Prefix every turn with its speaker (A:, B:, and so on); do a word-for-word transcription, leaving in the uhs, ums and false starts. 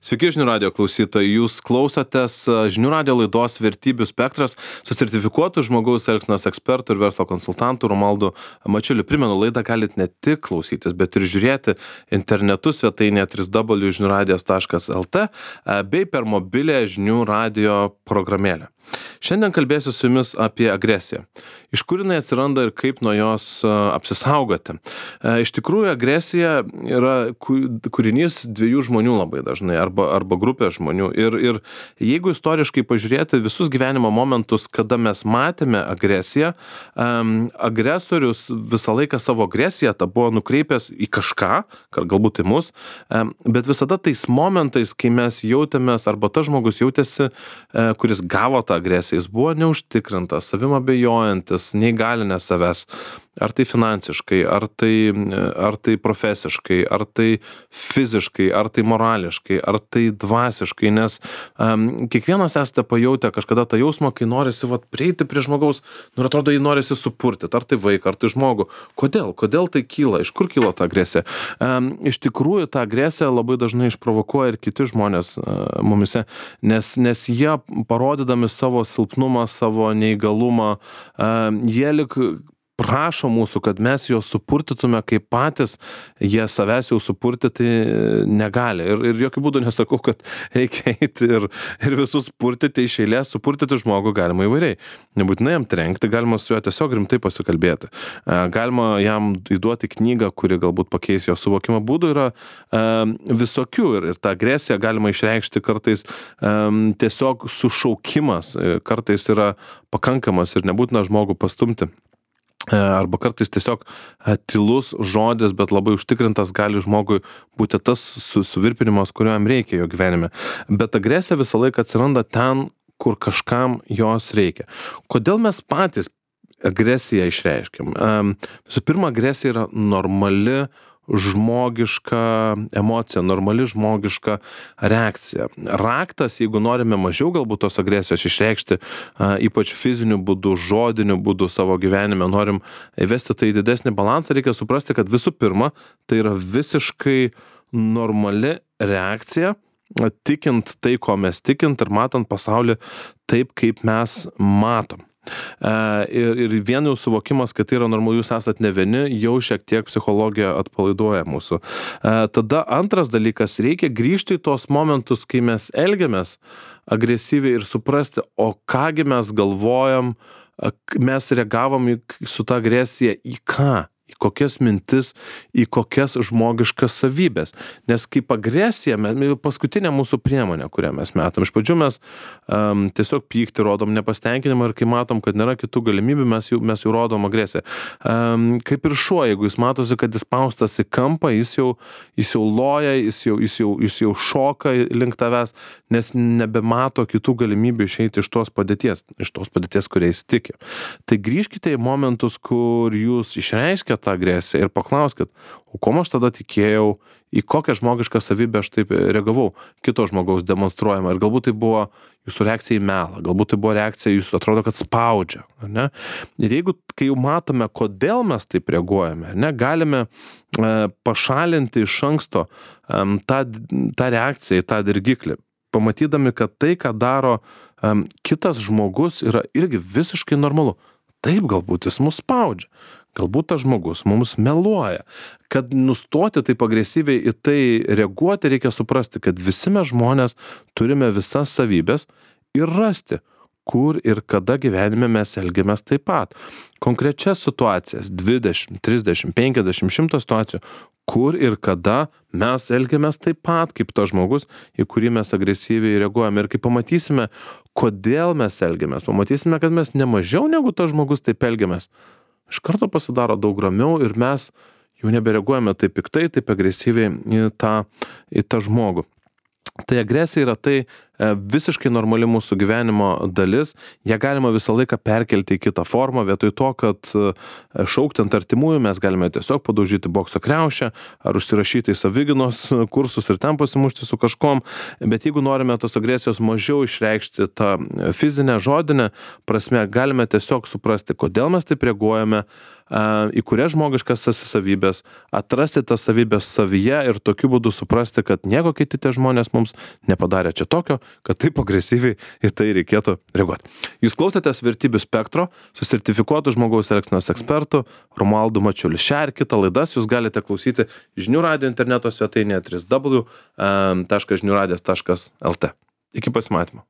A: Sveiki žinių radijo klausytojai, jūs klausotės žinių radijo laidos Vertybių spektras su sertifikuotu žmogaus elgsenos ekspertu ir verslo konsultantu Romaldu Mačiuliu. Primenu, laidą galite ne tik klausytis, bet ir žiūrėti internetu svetainėje w w w taškas žinių radijas taškas l t bei per mobilią žinių radijo programėlę. Šiandien kalbėsiu su jumis apie agresiją. Iš kur jinai atsiranda ir kaip nuo jos apsisaugoti. Iš tikrųjų, agresija yra kūrinys dviejų žmonių labai dažnai, arba, arba grupės žmonių. Ir, ir jeigu istoriškai pažiūrėti visus gyvenimo momentus, kada mes matėme agresiją, um, agresorius visą laiką savo agresiją tą buvo nukreipęs į kažką, galbūt į mus, um, bet visada tais momentais, kai mes jautėmės, arba tas žmogus jautėsi, uh, kuris gavo tą agresiją, jis buvo neužtikrintas, savim abejojantis, neįgalinęs savęs, ar tai finansiškai, ar tai, ar tai profesiškai, ar tai fiziškai, ar tai morališkai, ar tai dvasiškai, nes um, kiekvienas esate pajautę kažkada tą jausmą, kai norisi vat, prieiti prie žmogaus, nu, atrodo, jį norisi supurtyti, ar tai vaiką, ar tai žmogų. Kodėl? Kodėl tai kyla? Iš kur kyla ta agresija? Um, iš tikrųjų, tą agresiją labai dažnai išprovokuoja ir kiti žmonės uh, mumise, nes, nes jie parodydami savo silpnumą, savo neįgalumą, uh, jie lik prašo mūsų, kad mes juos supurtytume, kaip patys jie savęs jau supurtyti negali. Ir, ir jokių būdų nesakau, kad reikia eiti ir, ir visus purtyti iš eilės, supurtyti žmogų galima įvairiai. Nebūtinai jam trenkti, galima su juo tiesiog rimtai pasikalbėti. Galima jam įduoti knygą, kuri galbūt pakeis jo suvokimą. Būdų yra um, visokių ir, ir tą agresiją galima išreikšti kartais um, tiesiog sušaukimas, kartais yra pakankamas ir nebūtina žmogų pastumti. Arba kartais tiesiog tylus žodis, bet labai užtikrintas gali žmogui būti tas su, suvirpinimas, kurio jam reikia jo gyvenime. Bet agresija visą laiką atsiranda ten, kur kažkam jos reikia. Kodėl mes patys agresiją išreiškiam? Visų pirma, agresija yra normali žmogiška emocija, normali žmogiška reakcija. Raktas, jeigu norime mažiau galbūt tos agresijos išreikšti, ypač fiziniu būdu, žodiniu būdu savo gyvenime, norim įvesti tai didesnį balansą, reikia suprasti, kad visų pirma, tai yra visiškai normali reakcija, tikint tai, ko mes tikint ir matant pasaulį taip, kaip mes matom. Uh, ir, ir vien jau suvokimas, kad tai yra normalu, jūs esat ne vieni, jau šiek tiek psichologija atpalaiduoja mūsų. Uh, tada antras dalykas, reikia grįžti į tos momentus, kai mes elgiamės agresyviai ir suprasti, o kągi mes galvojam, mes reagavom į, su ta agresija į ką? Į kokias mintis, į kokias žmogiškas savybės. Nes kaip agresija, paskutinė mūsų priemonė, kurią mes metam. Iš pradžių mes um, tiesiog pykti, rodom nepastenkinimą ir kai matom, kad nėra kitų galimybių, mes jau, mes jau rodom agresiją. Um, kaip ir šuo, jeigu jis matosi, kad jis paustas į kampą, jis jau, jis jau loja, jis jau, jis, jau, jis jau šoka link tavęs, nes nebemato kitų galimybių išeiti iš tos padėties, iš tos padėties, kuriais tiki. Tai grįžkite į momentus, kur jūs išreiškėte tą agresiją ir paklauskit, o ko aš tada tikėjau, į kokią žmogišką savybę aš taip reagavau, kito žmogaus demonstruojama. Ir galbūt tai buvo jūsų reakcija į melą, galbūt tai buvo reakcija, jūs atrodo, kad spaudžia. Ar ne? Ir jeigu, kai jau matome, kodėl mes taip reaguojame, ne, galime e, pašalinti iš anksto e, tą, tą reakciją į tą dirgiklį, pamatydami, kad tai, ką daro e, kitas žmogus, yra irgi visiškai normalu. Taip, galbūt jis mus spaudžia. Galbūt tas žmogus mums meluoja. Kad nustoti taip agresyviai į tai reaguoti, reikia suprasti, kad visi mes žmonės turime visas savybės ir rasti, kur ir kada gyvenime mes elgiamės taip pat. Konkrečias situacijas, dvidešimt, trisdešimt, penkiasdešimt, šimtas situacijų, kur ir kada mes elgiamės taip pat, kaip tas žmogus, į kurį mes agresyviai reaguojame. Ir kai pamatysime, kodėl mes elgiamės, pamatysime, kad mes nemažiau negu tas žmogus taip elgiamės, iš karto pasidaro daug ramiau ir mes jau nebereaguojame taip piktai, taip agresyviai į tą, į tą žmogų. Tai agresija yra tai, visiškai normali mūsų gyvenimo dalis, ją galima visą laiką perkelti į kitą formą, vietoj to, kad šaukti ant artimųjų mes galime tiesiog padaužyti bokso kriaušę ar užsirašyti į savigynos kursus ir ten pasimušti su kažkom, bet jeigu norime tos agresijos mažiau išreikšti tą fizinę, žodinę prasme, galime tiesiog suprasti, kodėl mes taip reaguojame, į kurias žmogiškas savybės, atrasti tas savybės savyje ir tokiu būdu suprasti, kad nieko kiti tie žmonės mums nepadarė čia tokio, kad taip agresyviai į tai reikėtų reaguoti. Jūs klausėtės Vertybių spektro su sertifikuotu žmogaus elgsenos ekspertu Romualdu Mačiuliu. Šią ir kitą laidas jūs galite klausyti Žinių radijo interneto svetainėje w w w taškas žinių radijas taškas l t. Iki pasimatymo.